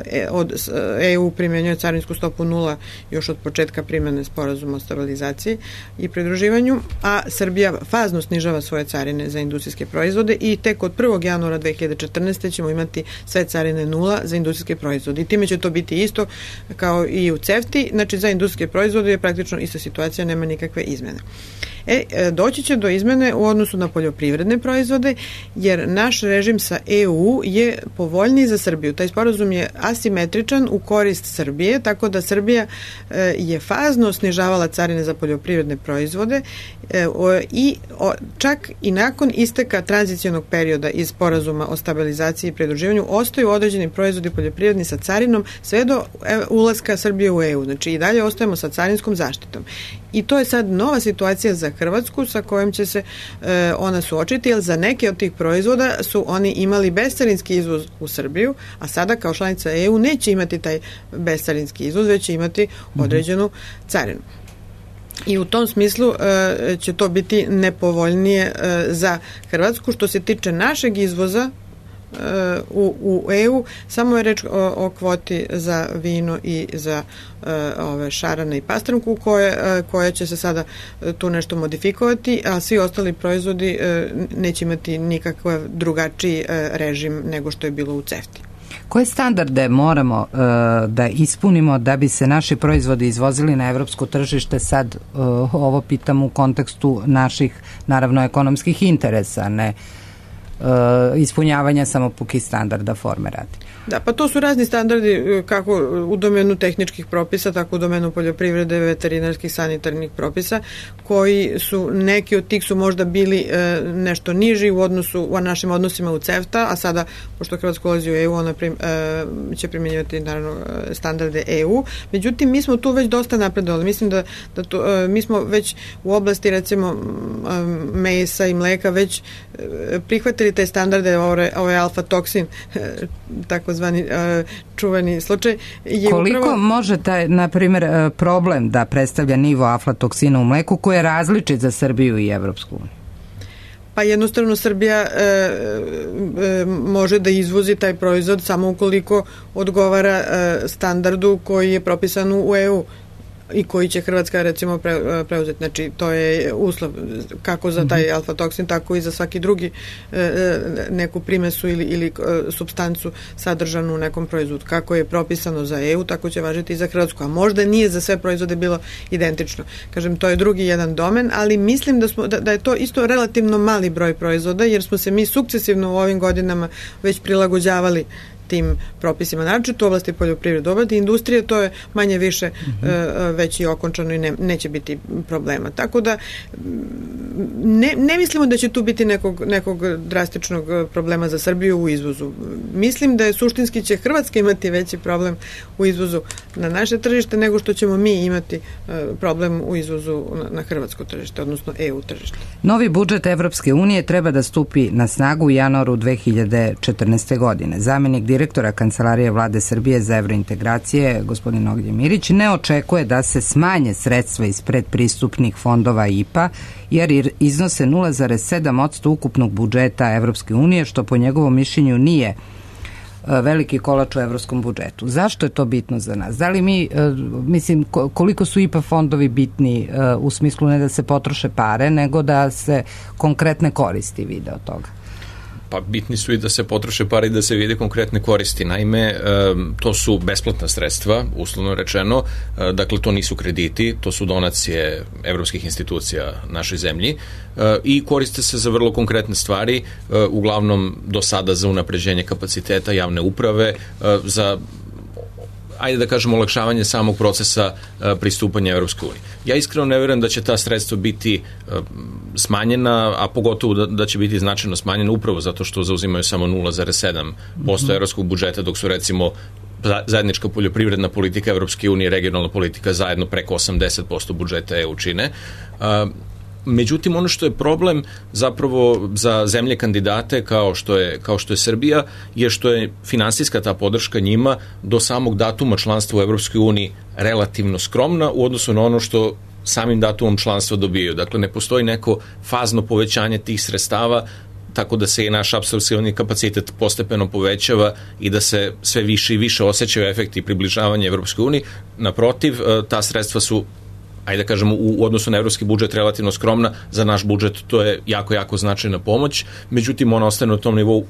e, od E U primjenjuje carinsku stopu nula još od početka primjene sporazuma o stabilizaciji i pridruživanju, a Srbija fazno snižava svoje carine za industrijske proizvode i tek od prvog januara dve hiljade četrnaeste. ćemo imati sve carine nula za industrijske proizvode. I time će to biti isto kao i u CEFTI, znači za industrijske proizvode je praktično ista situacija, nema nikakve izmene. E, doći će do izmene u odnosu na poljoprivredne proizvode, jer naš režim sa E U je povoljniji za Srbiju. Taj sporazum je asimetričan u korist Srbije, tako da Srbija e, je fazno snižavala carine za poljoprivredne proizvode e, o, i o, čak i nakon isteka tranzicionog perioda iz sporazuma o stabilizaciji i pridruživanju ostaju određeni proizvodi poljoprivredni sa carinom sve do e, ulaska Srbije u E U. Znači i dalje ostajemo sa carinskom zaštitom. I to je sad nova situacija za Hrvatsku sa kojom će se e, ona suočiti, jer za neke od tih proizvoda su oni imali bescarinski izvoz u Srbiju, a sada kao članica E U neće imati taj bescarinski izvoz, već će imati određenu carinu. I u tom smislu e, će to biti nepovoljnije e, za Hrvatsku. Što se tiče našeg izvoza u, u E U, samo je reč o, o kvoti za vino i za uh, ove šarane i pastramku koje, uh, koje će se sada uh, tu nešto modifikovati, a svi ostali proizvodi uh, neće imati nikakav drugačiji uh, režim nego što je bilo u CEFTI. Koje standarde moramo uh, da ispunimo da bi se naši proizvodi izvozili na evropsko tržište? Sad uh, ovo pitam u kontekstu naših, naravno, ekonomskih interesa, ne Uh, ispunjavanja samo pukih standarda forme radi. Da, pa to su razni standardi kako u domenu tehničkih propisa, tako u domenu poljoprivrede, veterinarskih, sanitarnih propisa, koji su, neki od tih su možda bili e, nešto niži u odnosu, u našim odnosima u CEFTA, a sada, pošto Hrvatska ulazi u E U, ona prim, e, će primjenjivati naravno standarde E U. Međutim, mi smo tu već dosta napredovali. Mislim da, da to, e, mi smo već u oblasti, recimo, mesa i mleka već e, prihvatili prihvatili te standarde, ovaj, ovaj alfa toksin, takozvani čuveni slučaj. Je Koliko upravo... može taj, na primjer, problem da predstavlja nivo aflatoksina u mleku koji je različit za Srbiju i Evropsku uniju? Pa jednostavno Srbija e, e, može da izvozi taj proizvod samo ukoliko odgovara e, standardu koji je propisan u E U i koji će Hrvatska recimo pre, preuzeti. Znači to je uslov kako za taj alfa-toksin, tako i za svaki drugi e, neku primesu ili, ili e, supstancu sadržanu u nekom proizvodu. Kako je propisano za E U, tako će važiti i za Hrvatsku. A možda nije za sve proizvode bilo identično. Kažem, to je drugi jedan domen, ali mislim da, smo, da, da je to isto relativno mali broj proizvoda, jer smo se mi sukcesivno u ovim godinama već prilagođavali tim propisima, naročito u oblasti poljoprivrede, oblasti industrije, to je manje više mm-hmm. e, već i okončano i ne, neće biti problema. Tako da ne, ne mislimo da će tu biti nekog, nekog drastičnog problema za Srbiju u izvozu. Mislim da je suštinski će Hrvatska imati veći problem u izvozu na naše tržište nego što ćemo mi imati e, problem u izvozu na, na hrvatsko tržište, odnosno E U tržište. Novi budžet Evropske unije treba da stupi na snagu u januaru dve hiljade četrnaeste. godine. Zamenik direktora Kancelarije Vlade Srbije za evrointegracije, gospodin Ognjen Mirić, ne očekuje da se smanje sredstva iz predpristupnih fondova I P A, jer iznose nula zarez sedam posto ukupnog budžeta Evropske unije, što po njegovom mišljenju nije veliki kolač u evropskom budžetu. Zašto je to bitno za nas? Da li mi, mislim, koliko su I P A fondovi bitni u smislu ne da se potroše pare, nego da se konkretne koristi vide od toga? Pa bitni su i da se potroše pare i da se vide konkretne koristi. Naime, to su besplatna sredstva, uslovno rečeno, dakle to nisu krediti, to su donacije evropskih institucija našoj zemlji i koriste se za vrlo konkretne stvari, uglavnom do sada za unapređenje kapaciteta javne uprave, za ajde da kažemo olakšavanje samog procesa uh, pristupanja Evropskoj uniji. Ja iskreno ne verujem da će ta sredstva biti uh, smanjena, a pogotovo da, da će biti značajno smanjena upravo zato što zauzimaju samo nula zarez sedam posto mm-hmm. evropskog budžeta, dok su recimo zajednička poljoprivredna politika Evropske unije, regionalna politika zajedno preko osamdeset posto budžeta E U čine. Uh, Međutim, ono što je problem zapravo za zemlje kandidate kao što je, kao što je Srbija je što je finansijska ta podrška njima do samog datuma članstva u Evropskoj uniji relativno skromna u odnosu na ono što samim datumom članstva dobijaju. Dakle, ne postoji neko fazno povećanje tih sredstava, tako da se i naš apsorpcioni kapacitet postepeno povećava i da se sve više i više osjećaju efekti približavanja Evropskoj uniji. Naprotiv, ta sredstva su, ajde da kažemo, u odnosu na evropski budžet relativno skromna, za naš budžet to je jako, jako značajna pomoć, međutim ona ostane na tom nivou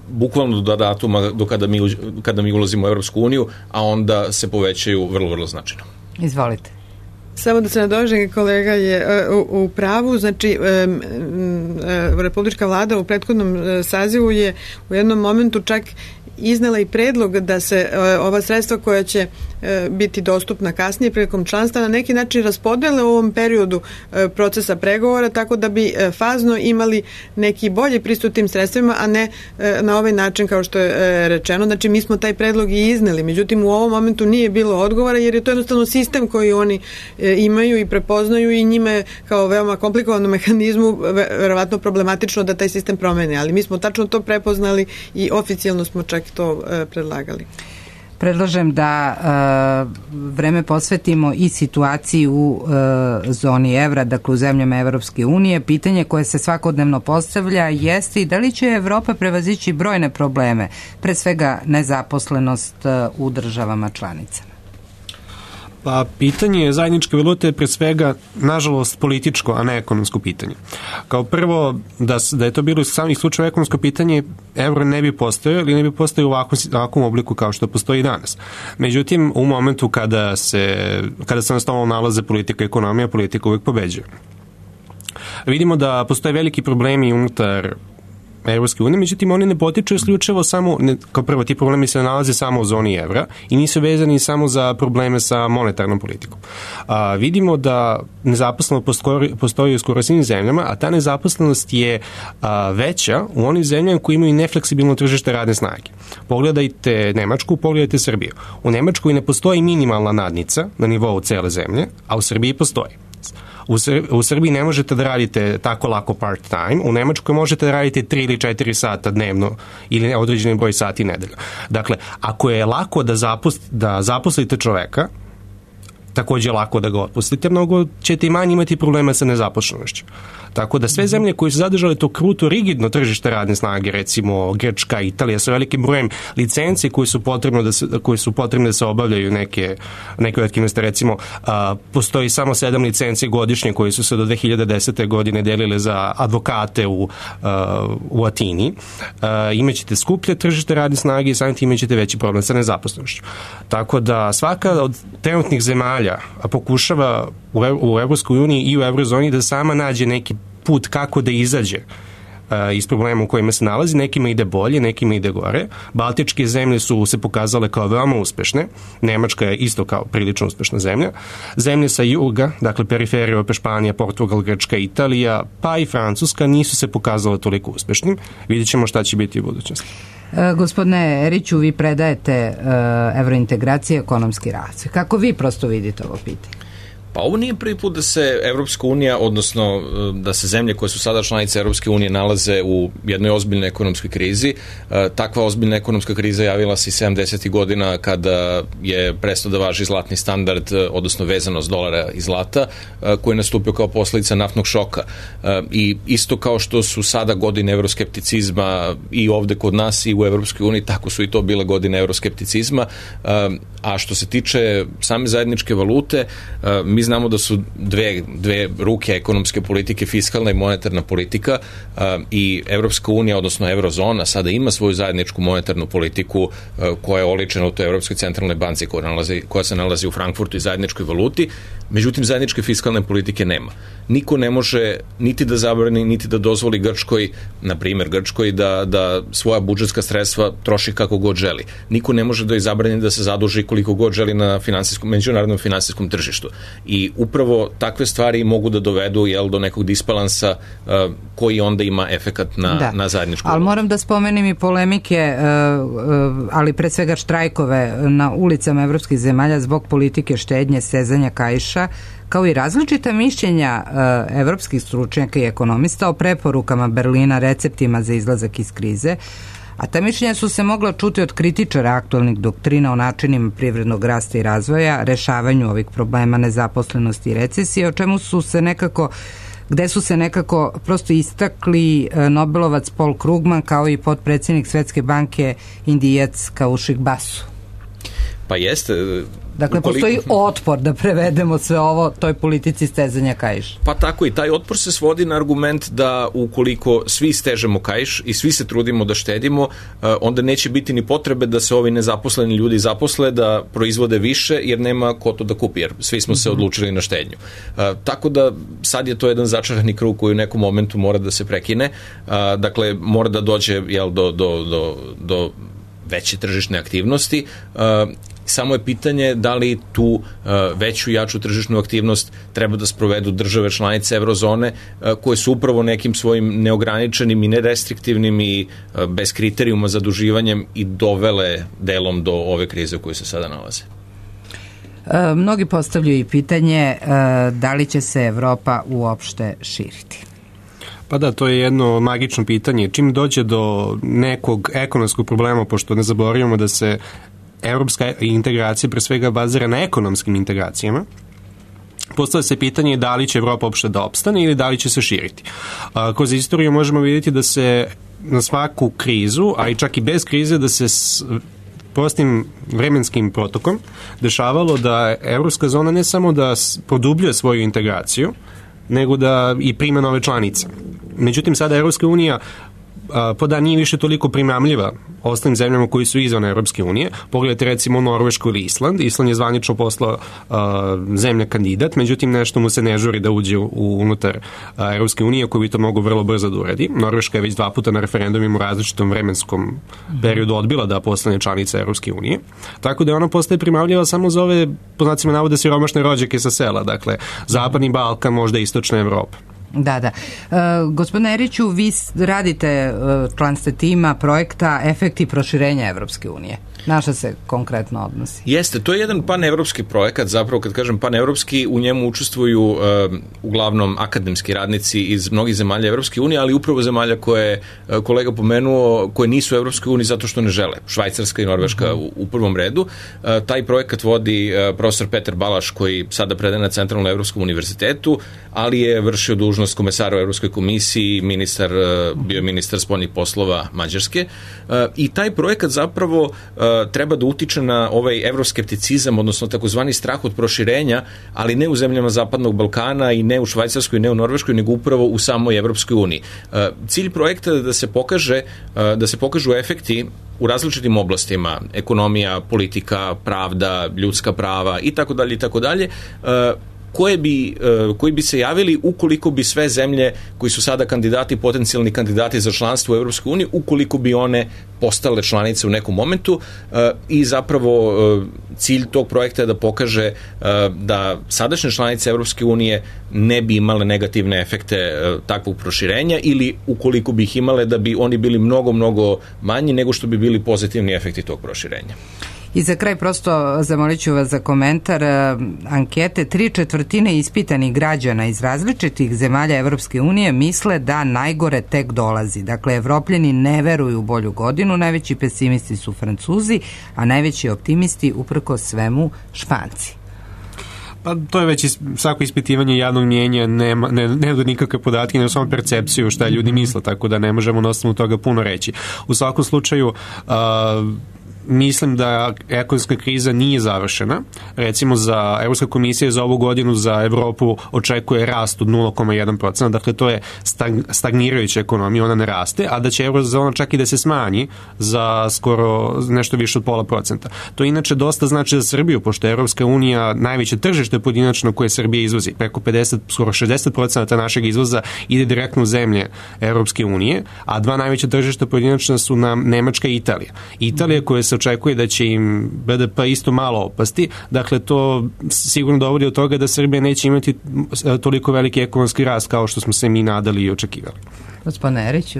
bukvalno do datuma do kada mi, kada mi ulazimo u Evropsku uniju, a onda se povećaju vrlo, vrlo značajno. Izvolite. Samo da se nadovežem, kolega je u, u pravu, znači e, e, Republička vlada u prethodnom sazivu je u jednom momentu čak iznela i predlog da se e, ova sredstva koja će e, biti dostupna kasnije prilikom članstva na neki način raspodele u ovom periodu e, procesa pregovora, tako da bi e, fazno imali neki bolji pristup tim sredstvima, a ne e, na ovaj način kao što je e, rečeno. Znači mi smo taj predlog i izneli, međutim u ovom momentu nije bilo odgovora jer je to jednostavno sistem koji oni e, imaju i prepoznaju i njima je kao veoma komplikovanom mehanizmu verovatno problematično da taj sistem promene, ali mi smo tačno to prepoznali i oficijalno smo čak to e, predlagali. Predlažem da e, vreme posvetimo i situaciji u e, zoni evra, dakle u zemljama Evropske unije. Pitanje koje se svakodnevno postavlja jeste i da li će Evropa prevazići brojne probleme, pre svega nezaposlenost e, u državama članicama. Pa pitanje zajedničke valute je pre svega, nažalost, političko, a ne ekonomsko pitanje. Kao prvo, da, da je to bilo iz samih slučaja ekonomsko pitanje, evro ne bi postojao ili ne bi postojao u ovakvom, ovakvom obliku kao što postoji danas. Međutim, u momentu kada se, kada se nastavno nalaze politika i ekonomija, politika uvijek pobeđuje. Vidimo da postoje veliki problemi unutar Evropske unije, međutim oni ne potiču isključivo samo, ne, kao prvo ti problemi se nalaze samo u zoni evra i nisu vezani samo za probleme sa monetarnom politikom. A, vidimo da nezaposlenost postoji, postoji u skoro svim zemljama, a ta nezaposlenost je a, veća u onim zemljama koji imaju nefleksibilno tržište radne snage. Pogledajte Nemačku, pogledajte Srbiju. U Nemačkoj ne postoji minimalna nadnica na nivou cele zemlje, a u Srbiji postoji. U, Sr- u Srbiji ne možete da radite tako lako part-time, u Nemačkoj možete da radite tri ili četiri sata dnevno ili određeni broj sati nedeljno. Dakle, ako je lako da, zapost, da zaposlite čoveka, takođe je lako da ga otpustite, mnogo ćete i manje imati problema sa nezaposlenošću. Tako da sve zemlje koje su zadržale to kruto, rigidno tržište radne snage, recimo Grčka, Italija, sa velikim brojem licenci koje su potrebne da se, koje su potrebne da se obavljaju neke, neke aktivnosti, recimo a, postoji samo sedam licenci godišnje koje su se do dve hiljade desete. godine delile za advokate u, a, u Atini. A, imaćete skuplje tržište radne snage i samim tim imaćete veći problem sa nezaposlenošću. Tako da svaka od trenutnih zemalja pokušava u, u Evropskoj uniji i u Eurozoni da sama nađe neki put kako da izađe uh, iz problema u kojima se nalazi. Nekima ide bolje, nekima ide gore. Baltičke zemlje su se pokazale kao veoma uspešne. Nemačka je isto kao prilično uspešna zemlja. Zemlje sa juga, dakle periferije opet Španija, Portugal, Grčka, Italija, pa i Francuska nisu se pokazale toliko uspešnim. Vidjet ćemo šta će biti u budućnosti. E, gospodine Eriću, vi predajete e, evrointegracije i ekonomski razvoj. Kako vi prosto vidite ovo pitanje? Pa ovo nije prvi put da se Evropska unija, odnosno da se zemlje koje su sada članice Evropske unije nalaze u jednoj ozbiljnoj ekonomskoj krizi. Takva ozbiljna ekonomska kriza javila se i sedamdesetih godina kada je prestao da važi zlatni standard, odnosno vezanost dolara i zlata, koji je nastupio kao posledica naftnog šoka. I isto kao što su sada godine evroskepticizma i ovde kod nas i u Evropskoj uniji, tako su i to bile godine evroskepticizma. A što se tiče same zajedničke valute, mi znamo da su dve, dve ruke ekonomske politike, fiskalna i monetarna politika, i Evropska unija, odnosno Eurozona, sada ima svoju zajedničku monetarnu politiku koja je oličena u toj Evropskoj centralnoj banci koja, nalazi, koja se nalazi u Frankfurtu i zajedničkoj valuti. Međutim, zajedničke fiskalne politike nema. Niko ne može niti da zabrani, niti da dozvoli Grčkoj, na primjer Grčkoj, da, da svoja budžetska sredstva troši kako god želi. Niko ne može da ih zabrani da se zaduži koliko god želi na finansijskom, međunarodnom finansijskom tržištu. I upravo takve stvari mogu da dovedu, jel, do nekog disbalansa uh, koji onda ima efekat na, da. na zajedničku. Ali moram da spomenem i polemike, uh, uh, ali pre svega štrajkove na ulicama evropskih zemalja zbog politike štednje, sezanja kaiša, kao i različita mišljenja uh, evropskih stručnjaka i ekonomista o preporukama Berlina, receptima za izlazak iz krize, a ta mišljenja su se mogla čuti od kritičara aktualnih doktrina o načinima privrednog rasta i razvoja, rešavanju ovih problema nezaposlenosti i recesije, o čemu su se nekako gde su se nekako prosto istakli Nobelovac Paul Krugman kao i potpredsjednik Svetske banke Indijac Kaušik Basu. Pa jeste. Dakle, ukoliko postoji otpor, da prevedemo sve ovo, toj politici stezanja kaiša. Pa tako i taj otpor se svodi na argument da ukoliko svi stežemo kaiš i svi se trudimo da štedimo, onda neće biti ni potrebe da se ovi nezaposleni ljudi zaposle, da proizvode više, jer nema ko to da kupi, jer svi smo se odlučili na štednju. Tako da sad je to jedan začarani krug koji u nekom momentu mora da se prekine. Dakle, mora da dođe, jel, do, do, do, do veće tržišne aktivnosti. Samo je pitanje da li tu uh, veću i jaču tržišnu aktivnost treba da sprovedu države članice Eurozone, uh, koje su upravo nekim svojim neograničenim i nerestriktivnim i uh, bez kriterijuma zaduživanjem i dovele delom do ove krize u kojoj se sada nalaze. E, mnogi postavljaju i pitanje e, da li će se Evropa uopšte širiti. Pa da, to je jedno magično pitanje. Čim dođe do nekog ekonomskog problema, pošto ne zaboravimo da se evropska integracija pre svega bazira na ekonomskim integracijama, postavlja se pitanje da li će Evropa uopšte da opstane ili da li će se širiti. A, kroz istoriju možemo vidjeti da se na svaku krizu, a i čak i bez krize, da se s prostim vremenskim protokom dešavalo da evropska zona ne samo da produbljuje svoju integraciju, nego da i prima nove članice. Međutim, sada Evropska unija po da nije više toliko primamljiva ostalim zemljama koji su izvan Evropske unije. Pogledajte recimo Norvešku ili Island. Island je zvanično poslao uh, zemlja kandidat, međutim nešto mu se ne žuri da uđe u, unutar uh, Evropske unije, koji bi to mogu vrlo brzo da uredi. Norveška je već dva puta na referendumima u različitom vremenskom periodu odbila da postane članica Evropske unije. Tako da ona postaje primamljiva samo za ove, po znacima navode, siromašne rođake sa sela, dakle Zapadni Balkan, možda Istočna Evropa. Da, da. E, gospodine Eriću, vi radite, e, član ste tima projekta Efekti proširenja Evropske unije. Na šta se konkretno odnosi? Jeste, to je jedan panevropski projekat, zapravo kad kažem panevropski, u njemu učestvuju uh, uglavnom akademski radnici iz mnogih zemalja Evropske unije, ali upravo zemalja koje je uh, kolega pomenuo, koje nisu u Evropskoj uniji zato što ne žele. Švajcarska i Norveška uh-huh. u, u prvom redu. Uh, taj projekat vodi uh, profesor Petar Balaš, koji sada predaje na Centralnom Evropskom univerzitetu, ali je vršio dužnost komesara u Evropskoj komisiji, ministar, uh, bio ministar spoljnih poslova Mađarske. Uh, I taj projekat zapravo uh, treba da utiče na ovaj evroskepticizam, odnosno takozvani strah od proširenja, ali ne u zemljama Zapadnog Balkana i ne u Švajcarskoj, ne u Norveškoj, nego upravo u samoj Evropskoj uniji. Cilj projekta je da se pokaže, da se pokažu efekti u različitim oblastima, ekonomija, politika, pravda, ljudska prava i tako dalje i tako dalje, koje bi, koji bi se javili ukoliko bi sve zemlje koji su sada kandidati, potencijalni kandidati za članstvo u Evropskoj uniji, ukoliko bi one postale članice u nekom momentu, i zapravo cilj tog projekta je da pokaže da sadašnje članice Evropske unije ne bi imale negativne efekte takvog proširenja, ili ukoliko bi ih imale, da bi oni bili mnogo, mnogo manji nego što bi bili pozitivni efekti tog proširenja. I za kraj prosto zamolit ću vas za komentar ankete. Tri četvrtine ispitanih građana iz različitih zemalja Evropske unije misle da najgore tek dolazi. Dakle, Evropljani ne veruju u bolju godinu, najveći pesimisti su Francuzi, a najveći optimisti uprko svemu Španci. Pa to je već is, svako ispitivanje javnog mnjenja, nema, ne, ne da nikakve podatke, nego samo percepciju šta ljudi misle, tako da ne možemo na osnovu toga puno reći. U svakom slučaju, uh, mislim da ekonomska kriza nije završena. Recimo, za Evropska komisija za ovu godinu za Evropu očekuje rast od nula zarez jedan posto, dakle to je stagnirajuća ekonomija, ona ne raste, a da će eurozona čak i da se smanji za skoro nešto više od pola procenta. To inače dosta znači za Srbiju, pošto je Evropska unija najveće tržište pojedinačno koje Srbija izvozi. Preko pedeset, skoro šezdeset procenta našeg izvoza ide direktno u zemlje Evropske unije, a dva najveća tržišta pojedinačna su nam Nemačka i Italija. Italija koja se očekuje da će im B D P isto malo opasti, dakle to sigurno dovodi od toga da Srbija neće imati toliko veliki ekonomski rast kao što smo se mi nadali i očekivali. Gospodine Eriću.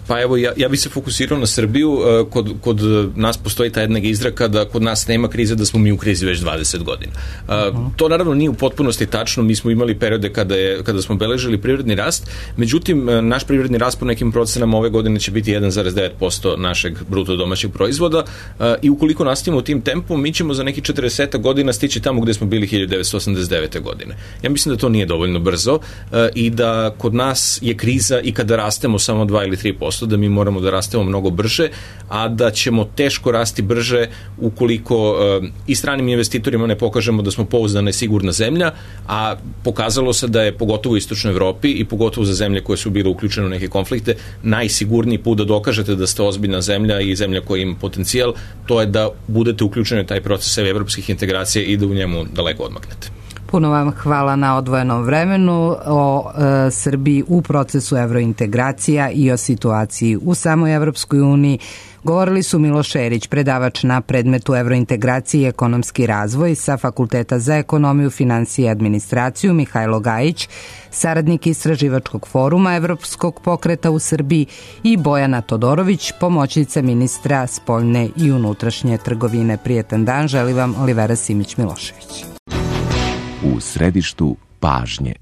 Pa evo, ja, ja bih se fokusirao na Srbiju. Kod, kod nas postoji ta jedna izreka da kod nas nema krize, da smo mi u krizi već dvadeset godina. Uh-huh. To naravno nije u potpunosti tačno. Mi smo imali periode kada, je, kada smo beležili privredni rast, međutim, naš privredni rast po nekim procenama ove godine će biti jedan zarez devet posto našeg bruto domaćeg proizvoda, uh, i ukoliko nastavimo tim tempom, mi ćemo za neki četrdeset godina stići tamo gde smo bili hiljadu devetsto osamdeset devete. godine. Ja mislim da to nije dovoljno brzo, uh, i da kod nas je kriza i kada rastemo samo dva ili tri posto, da mi moramo da rastemo mnogo brže, a da ćemo teško rasti brže ukoliko uh, i stranim investitorima ne pokažemo da smo pouzdana i sigurna zemlja, a pokazalo se da je pogotovo u Istočnoj Evropi i pogotovo za zemlje koje su bile uključene u neke konflikte, najsigurniji put da dokažete da ste ozbiljna zemlja i zemlja koja ima potencijal, to je da budete uključeni u taj proces evropskih integracija i da u njemu daleko odmaknete. Puno vam hvala na odvojenom vremenu o e, Srbiji u procesu evrointegracija i o situaciji u samoj Evropskoj uniji. Govorili su Miloš Erić, predavač na predmetu evrointegracije i ekonomski razvoj sa Fakulteta za ekonomiju, finansije i administraciju, Mihajlo Gajić, saradnik Istraživačkog foruma Evropskog pokreta u Srbiji, i Bojana Todorović, pomoćnica ministra spoljne i unutrašnje trgovine. Prijetan dan, želi vam Olivera Simić-Milošević. U središtu pažnje.